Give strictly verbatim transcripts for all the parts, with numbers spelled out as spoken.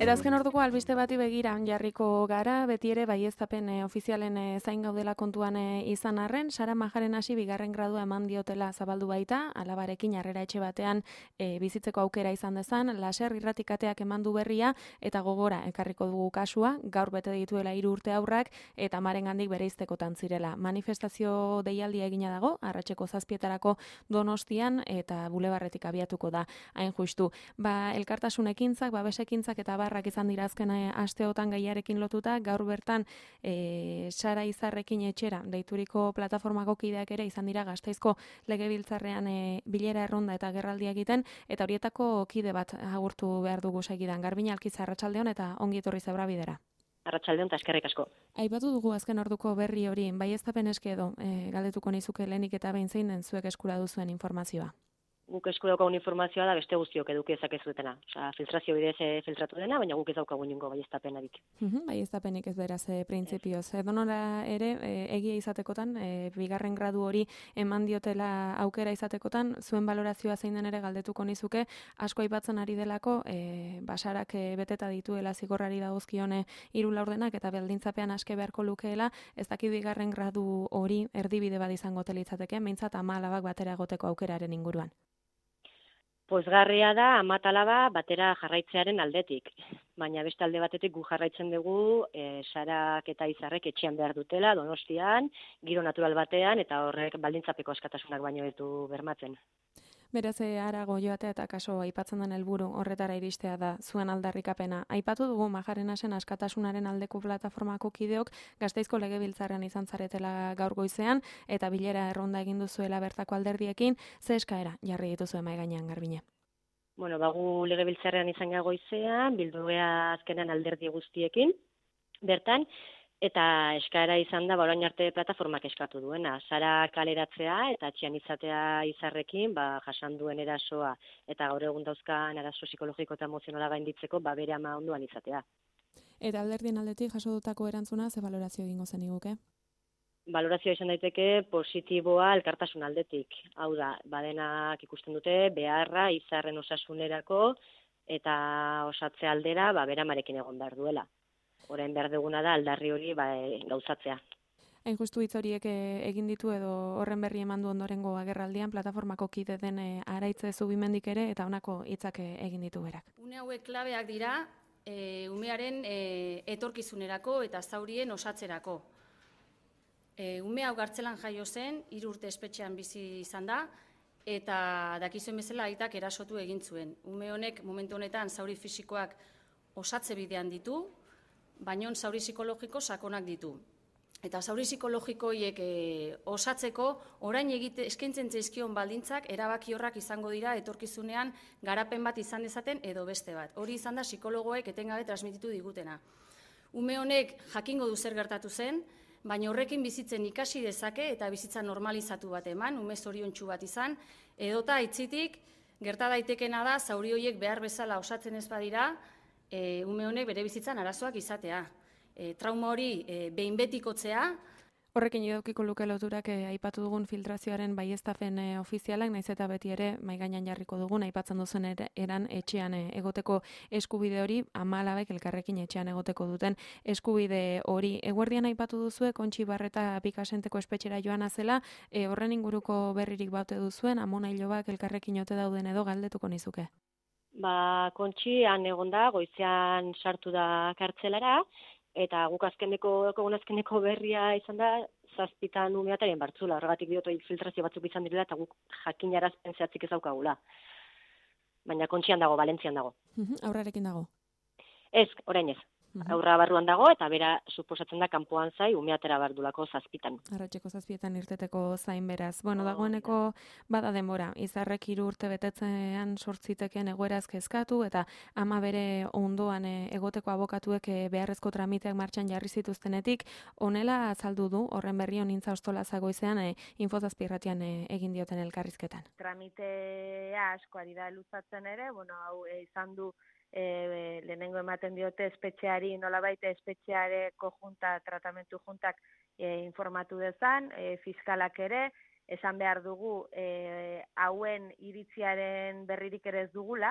Erazken orduko albiste bati begira jarriko gara, beti ere baieztapen e, ofizialen e, zain gaudela kontuan e, izan arren, Sara Majaren hasi bigarren gradua eman diotela zabaldu baita, alabarekin harrera etxe batean e, bizitzeko aukera izan dezan, laser irratikateak eman du berria, eta gogora ekarriko dugu kasua, gaur bete dituela hiru urte aurrak, eta marengandik bereiztekotan zirela. Manifestazio deialdia egina dago, arratseko zazpietarako Donostian, eta bulebarretik abiatuko da, hain justu. Ba, elkartasun ekintzak, babes ekintzak eta barrak izan dira azken asteotan gaiarekin lotuta, gaur bertan e, Sara Izarrekin etxera deituriko plataformako kideak ere izan dira Gasteizko legebiltzarrean e, bilera erronda eta gerraldia egiten, eta horietako kide bat agurtu behar dugu segidan. Garbina Alkiza, arratsaldeon eta ongi etorri Zebra Bidera. Arratsaldeon eta eskerrik asko. Aipatu dugu azken orduko berri hori, baieztapen eske edo, e, galdetuko nizuke lehenik eta behin zein den zuek eskura duzuen informazioa. Guk esku daukagun informazioa da beste guztiok eduki dezakezuetena. Osea, filtrazio bidez e, filtratu dena, baina guk ez daukagu inongo baieztapenarik. Mhm, baieztapenik ez beraz e, printzipioz. Edonora ere e, egia izatekotan, e, bigarren gradu hori eman diotela aukera izatekotan, zuen balorazioa zein den ere galdetuko nizuke, asko aipatzen ari delako, e, basarak e, beteta dituela zigorrari dagozkione hiru laurdenak eta baldintzapean aske beharko lukeela, ez dakit bigarren gradu hori erdibide bat izango telitzateke, behintzat ama alabak batera egoteko aukeraren inguruan. Pozgarria da ama eta alaba batera jarraitzearen aldetik, baina beste alde batetik gu jarraitzen dugu e, Sarak eta Izarrek etxean behar dutela, Donostian, giro natural batean, eta horrek baldintzapeko askatasunak baino ditu bermatzen. Beraz, harago joatea eta kaso aipatzen den helburu horretara iristea da zuen aldarrikapena. Aipatu dugu Majarenasen askatasunaren aldeko plataformako kideok Gasteizko legebiltzarrean izan zaretela gaur goizean eta bilera erronda egin duzuela bertako alderdiekin, ze eskaera jarri dituzue mahai gainean, Garbine? Bueno, bagu legebiltzarrean izan gara goizean, bildu gea azkenan alderdi guztiekin, bertan, eta eskaera izan da, ba, orain arte plataformak eskatu duena. Sara kaleratzea eta atxian izatea Izarrekin, ba, jasan duen erasoa eta gaur egun dauzkan arazo psikologiko eta emozionala gainditzeko, ba, bere ama ondoan izatea. Eta alderdien aldetik jaso dutako erantzuna, ze balorazio egingo zen iguke? Balorazioa izan daiteke positiboa elkartasun aldetik. Hau da, badenak ikusten dute beharra Izarren osasunerako eta osatze aldera, ba, bere amarekin egon behar duela. Orain behar duguna da aldarri hori ba, e, gauzatzea. Hain justu hitz horiek egin ditu edo horren berri eman du ondorengo agerraldian plataformako kide den e, Araitze Zubimendik ere eta honako hitzak egin ditu berak. Une hauek klabeak dira e, umearen e, etorkizunerako eta zaurien osatzerako. E, ume hau Gartzelan jaio zen, hiru urte espetxean bizi izan da, eta dakizuen bezala aitak erasotu egin zuen. Ume honek momentu honetan zauri fisikoak osatze bidean ditu, baina zauri psikologiko sakonak ditu. Eta zauri psikologiko hiek e, osatzeko, orain egite eskaintzen zaizkion baldintzak erabaki horrak izango dira etorkizunean garapen bat izan dezaten edo beste bat. Hori izan da psikologoek etengabe transmititu digutena. Ume honek jakingo du zer gertatu zen, baina horrekin bizitzen ikasi dezake eta bizitza normalizatu bat eman, ume zoriontsu bat izan, edota aitzitik gerta daitekena da zauri horiek behar bezala osatzen ez badira, E, ume honek bere bizitzan arazoak izatea. E, trauma hori e, behin betikotzea. Horrekin idaukiko luke loturak e, aipatu dugun filtrazioaren baieztapen e, ofizialak, naiz eta beti ere mahai gainean jarriko dugun, aipatzen duzen er, eran etxean e, egoteko eskubide hori, ama alabek elkarrekin etxean egoteko duten eskubide hori. Eguerdian aipatu duzue, Kontxi Barreta Pikasenteko espetxera joan azela, e, horren inguruko berririk baute duzuen, amona hilobak elkarrekin ote dauden edo galdetuko nizuke. Ba, Kontxi han egon da, goizean sartu da kartzelara, eta guk azkeneko, egun azkeneko berria izan da, zazpitan umeataren bartzula, horregatik diotu filtrazio batzuk izan direla, eta guk jakinarazpen zehatzik ez daukagula. Baina Kontxian dago, Valentzian dago. Aurrarekin dago? Ez, orain ez. Aurra barruan dago, eta bera suposatzen da kanpoan zai, umeatera bardulako zazpitan. Arratxeko zazpietan irteteko zain beraz. Bueno, dagoeneko bada denbora, Izarrek hiru urte betetzean sortziteken egoeraz kezkatu, eta ama bere ondoan egoteko abokatuek beharrezko tramiteak martxan jarri zituztenetik, honela azaldu du, horren berri honintza ostola zagoizean, e, infozazpirratian e, egin dioten elkarrizketan. Tramitea asko ari da luzatzen ere, bueno, hau e, izan du E, lehenengo ematen diote espetxeari, nolabait espetxeareko junta, tratamentu juntak e, informatu dezan, e, fiskalak ere, esan behar dugu e, hauen iritziaren berririk ere ez dugula,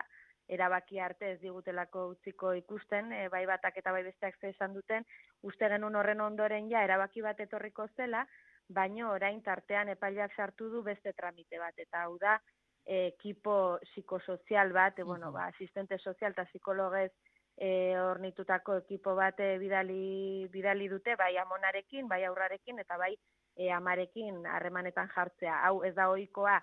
erabaki arte ez digutelako utziko ikusten, e, bai batak eta bai besteak ze esan duten, uste genuen horren ondoren ja erabaki bat etorriko zela, baino orain tartean epaileak sartu du beste tramite bat, eta hau da, e, ekipo psikosozial bat, e, bueno, ba, asistente sozial eta psikologez e, ornitutako ekipo bat e, bidali, bidali dute, bai amonarekin, bai aurrarekin, eta bai e, amarekin harremanetan jartzea. Hau ez da ohikoa,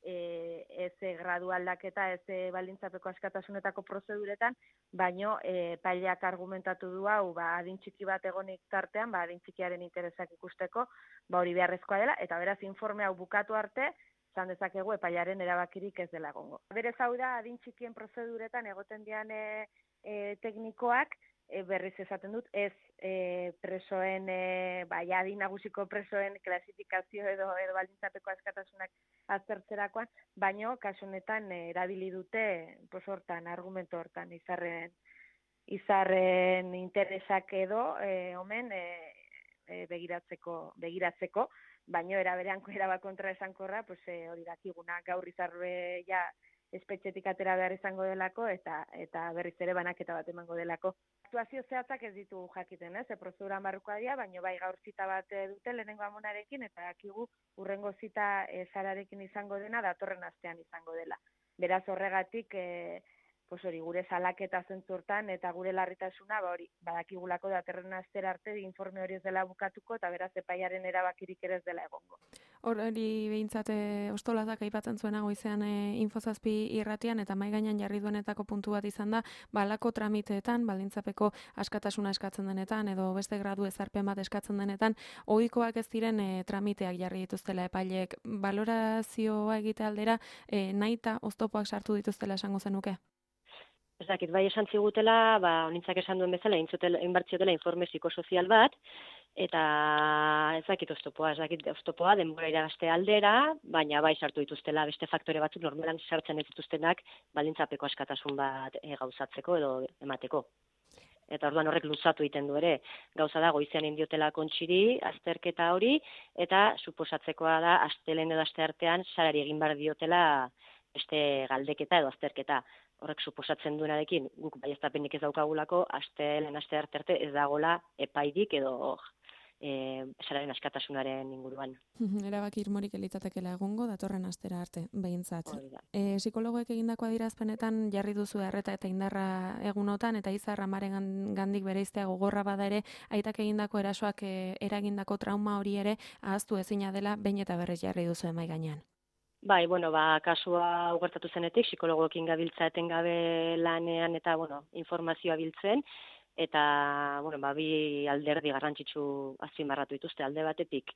E, ez gradu aldaketa, ez baldintzapeko askatasunetako prozeduretan, baino e, paileak argumentatu du hau, ba, adin txiki bat egonik tartean, ba, adin txikiaren interesak ikusteko, ba, hori beharrezkoa dela, eta beraz informe hau bukatu arte, zan dezakegu epailearen erabakirik ez dela egongo. Berez hau da, adin txikien prozeduretan egoten dian e, e, teknikoak, E, berriz esaten dut, ez e, presoen, e, bai, adin nagusiko presoen klasifikazio edo, edo baldintzapeko askatasunak aztertzerakoan, baino, kasu honetan e, erabili dute, pos hortan, argumento hortan, izarren, izarren interesak edo, e, omen, e, e, begiratzeko, begiratzeko, baino, eraberean, eraba kontra esankorra, pues, e, hori dakiguna, gaur izarbe, ja, espetxetik atera behar izango delako, eta eta berriz ere banaketa bat emango delako. Aktuazio zehatzak ez ditu jakiten, ez? E, prozeduran barrukoa dira, baina bai gaur zita bat dute lehenengo amonarekin, eta dakigu urrengo zita e, Sararekin izango dena, datorren astean izango dela. Beraz horregatik, e, pues hori, gure salaketa zentzurtan, eta gure larritasuna, ba hori, badakigulako datorren astera arte, informe hori ez dela bukatuko, eta beraz epaiaren erabakirik ere ez dela egongo. Hori behintzate ostolazak aipatzen zuena goizean e, Infozazpi irratian, eta mai gainean jarri duenetako puntu bat izan da, balako tramiteetan, baldintzapeko askatasuna eskatzen denetan, edo beste gradu ezarpen bat eskatzen denetan, ohikoak ez diren e, tramiteak jarri dituztela epaileek. Balorazioa egite aldera, e, nahita oztopoak sartu dituztela esango zenuke? Ez dakit, bai esan zigutela, ba, honintzak esan duen bezala, inbartziotela informe psikosozial bat, eta ez dakit oztopoa, ez dakit oztopoa, denbora iragazte aldera, baina bai sartu dituztela beste faktore batzuk normalan sartzen ez dituztenak baldintzapeko askatasun bat e, gauzatzeko edo emateko. Eta orduan horrek luzatu egiten du ere, gauza da goizean indiotela kontxiri, azterketa hori, eta suposatzekoa da, astelen edo asteartean, Sarari egin behar diotela beste galdeketa edo azterketa. Horrek suposatzen duenarekin, guk baieztapenik ez daukagulako, asteen aste arte arte ez dagola epaidik edo e, Sararen askatasunaren inguruan. Erabaki irmorik elitzatekela egongo, datorren astera arte, behintzat. E, psikologoek egindako adierazpenetan jarri duzu erreta eta indarra egunotan, eta Izar amaren gandik bereiztea gogorra bada ere, aitak egindako erasoak e, eragindako trauma hori ere ahaztu ezina dela, behin eta berriz jarri duzu emai gainean. Bai, bueno, ba, kasua ugertatu zenetik, psikologoekin gabiltza etengabe lanean eta, bueno, informazioa biltzen, eta, bueno, ba, bi alderdi garrantzitsu azpimarratu dituzte alde batetik.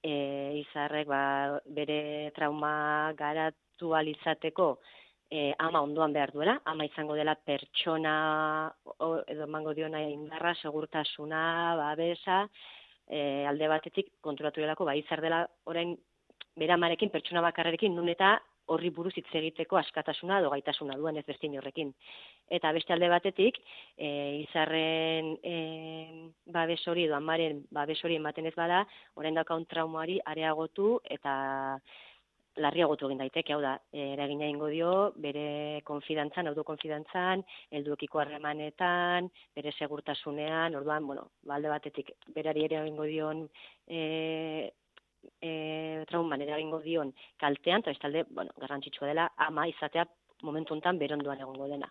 E, Izarrek, ba, bere trauma garatu alizateko e, ama ondoan behar duela, ama izango dela pertsona, o, edo emango diona indarra, segurtasuna, babesa, e, alde batetik konturatu delako, ba, Izar dela orain bera amarekin, pertsona bakarrekin, nun eta horri buruz hitz egiteko askatasuna edo gaitasuna duen ez beste inorrekin. Eta beste alde batetik, e, Izarren e, babes hori edo amaren babes hori ematen ez bada, orain daukaun traumari areagotu eta larriagotu egin daiteke, hau da, eragina egingo dio, bere konfidantzan, autokonfidantzan, helduekiko harremanetan, bere segurtasunean, orduan, bueno, alde batetik berari ere egingo dion e, E, trauman eragingo dion kaltean, eta bestalde, bueno, garrantzitsua dela, ama izatea momentu honetan beronduan egongo dena.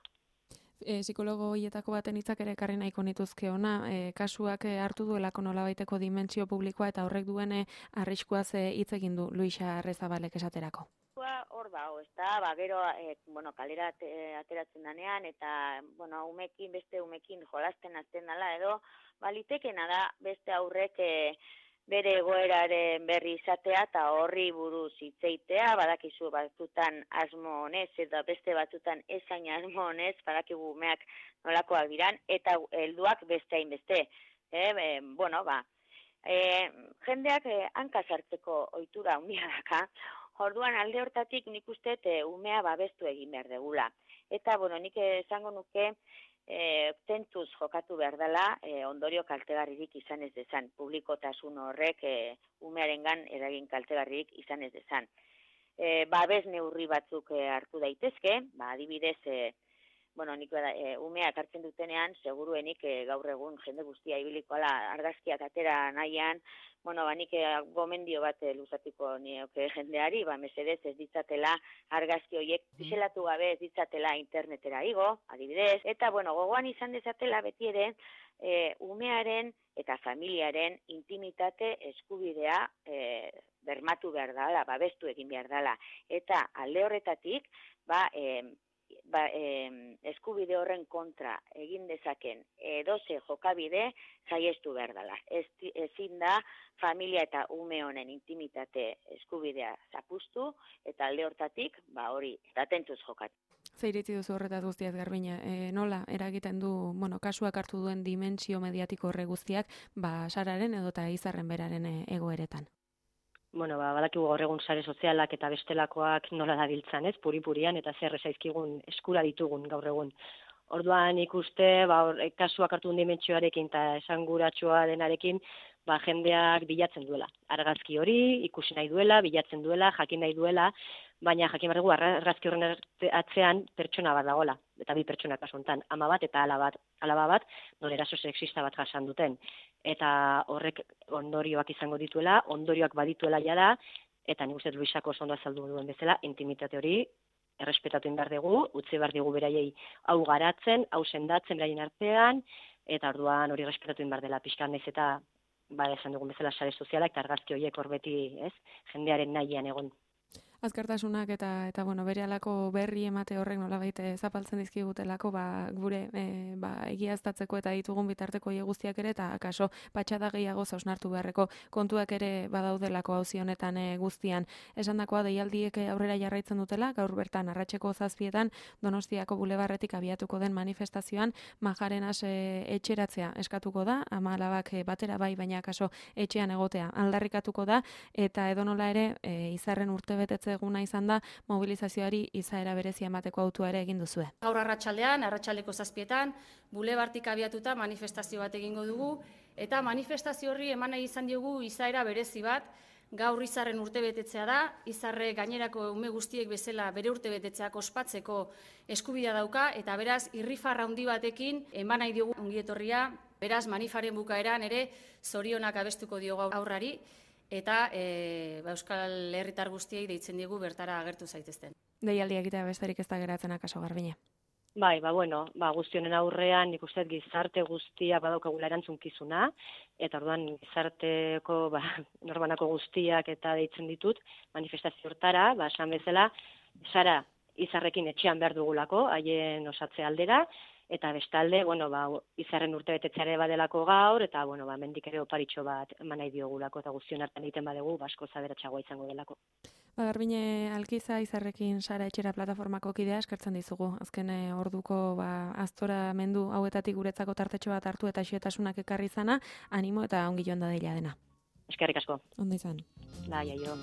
E, psikologo hietako baten hitzak ere ekarri nahiko nituzke ona, e, kasuak hartu duelako nolabaiteko dimentsio publikoa eta horrek duene arriskuaz hitz egin du Luisa Arrezabalek esaterako. Hor da, ez da, ba, gero, e, bueno, kalera ateratzen danean, eta, bueno, umekin, beste umekin jolasten azten dela, edo, balitekena da, beste aurrek, e, bere egoeraren berri izatea eta horri buruz hitzeitea, badakizu batzutan asmo honez eta beste batzutan ezain asmo honez, badakigu umeak nolakoak diran, eta helduak beste hainbeste. E, e, bueno, ba, e, jendeak e, hanka sartzeko ohitura handia daka, orduan alde hortatik nik uste e, umea babestu egin behar degula. Eta, bueno, nik esango nuke, E, tentuz jokatu behar dela, e, ondorio kaltegarririk izan ez dezan. Publikotasun horrek e, umearengan eragin kaltegarririk izan ez dezan. E, babes neurri batzuk e, hartu daitezke, ba, adibidez, e, bueno, nik bada, e, umeak hartzen dutenean, seguruenik e, gaur egun jende guztia ibiliko ala argazkiak atera nahian, bueno, ba, nik e, gomendio bat e, luzatuko nioke jendeari, ba, mesedez ez ditzatela argazki horiek pixelatu gabe ez ditzatela internetera igo, adibidez, eta, bueno, gogoan izan dezatela beti ere, e, umearen eta familiaren intimitate eskubidea e, bermatu behar dela, babestu egin behar dela, eta alde horretatik, ba, e, Ba, eh, eskubide horren kontra egin dezaken edoze jokabide saiestu behar dela. Ez, ezin da familia eta ume honen intimitate eskubidea zapustu eta alde hortatik ba, hori atentuz jokatu. Zer iritzi duzu horretaz guztiaz, Garbina? E, nola eragiten du, bueno, kasuak hartu duen dimentsio mediatiko horre guztiak, ba, Sararen edota Izarren beraren egoeretan? Bueno, ba, badakigu gaur egun sare sozialak eta bestelakoak nola dabiltzan, ez, puri-purian, eta zer zaizkigun eskura ditugun gaur egun. Orduan ikuste, ba, or, kasuak hartu dimentsioarekin eta esanguratsua denarekin, ba, jendeak bilatzen duela. Argazki hori, ikusi nahi duela, bilatzen duela, jakin nahi duela, baina jakin behar dugu argazki horren atzean pertsona bat dagoela, eta bi pertsona kasu honetan, ama bat eta ala bat, alaba bat, non eraso sexista bat jasan duten. Eta horrek ondorioak izango dituela, ondorioak badituela jada, eta nik uste Luisako ondo azaldu duen bezala, intimitate hori errespetatu behar dugu, utzi behar dugu beraiei hau garatzen, hau sendatzen beraien artean, eta orduan hori errespetatu behar dela pixkan ez eta ba, esan dugun bezala sare sozialak eta argazki horiek hor beti, ez, jendearen nahian egon. Azkartasunak eta eta bueno, berehalako berri emate horrek nolabait zapaltzen dizkigutelako, ba gure e, ba egiaztatzeko eta ditugun bitarteko hoe guztiak ere eta akaso patxada gehiago zausnartu beharreko kontuak ere badaudelako auzi honetan e, guztian. Esandakoa deialdiek aurrera jarraitzen dutela, gaur bertan arratseko zazpietan Donostiako bulebarretik abiatuko den manifestazioan Majarenas e, etxeratzea eskatuko da, ama alabak e, batera bai, baina akaso etxean egotea aldarrikatuko da eta edonola ere e, Izarren urtebetetze eguna izan da mobilizazioari izaera berezia emateko autua ere egin duzue. Gaur arratsaldean, arratsaldeko zazpietan, bulebartik abiatuta manifestazio bat egingo dugu, eta manifestazio horri eman nahi izan diogu izaera berezi bat, gaur Izarren urtebetetzea da, Izarre gainerako ume guztiek bezala bere urtebetetzeak ospatzeko eskubidea dauka, eta beraz, irrifarra handi batekin eman nahi diogu ongietorria, beraz, manifaren bukaeran ere zorionak abestuko diogu aurrari, eta e, ba, Euskal Herritar guztiei deitzen diegu bertara agertu zaitezten. Deialdia egitea besterik ez da geratzen akaso, Garbine. Bai, ba, bueno, ba, guztionen aurrean nik uste gizarte guztia badaukagula erantzunkizuna, eta orduan gizarteko ba, norbanako guztiak eta deitzen ditut manifestazio hortara, ba, esan bezala, Sara Izarrekin etxean behar dugulako, haien osatze aldera, eta bestalde, bueno, ba, Izarren urtebetetzeare badelako gaur, eta, bueno, ba, mendik ere oparitxo bat eman nahi diogulako, eta guztion hartan egiten badegu, basko zaberatxagoa izango delako. Ba, Garbine Alkiza, Izarrekin Sara Etxera plataformako kidea eskertzen dizugu. Azken orduko ba, aztora mendu hauetatik guretzako tartetxo bat hartu eta xietasunak ekarri izana, animo eta ongi joan da deila dena. Eskerrik asko. Ondo izan. Bai, aio.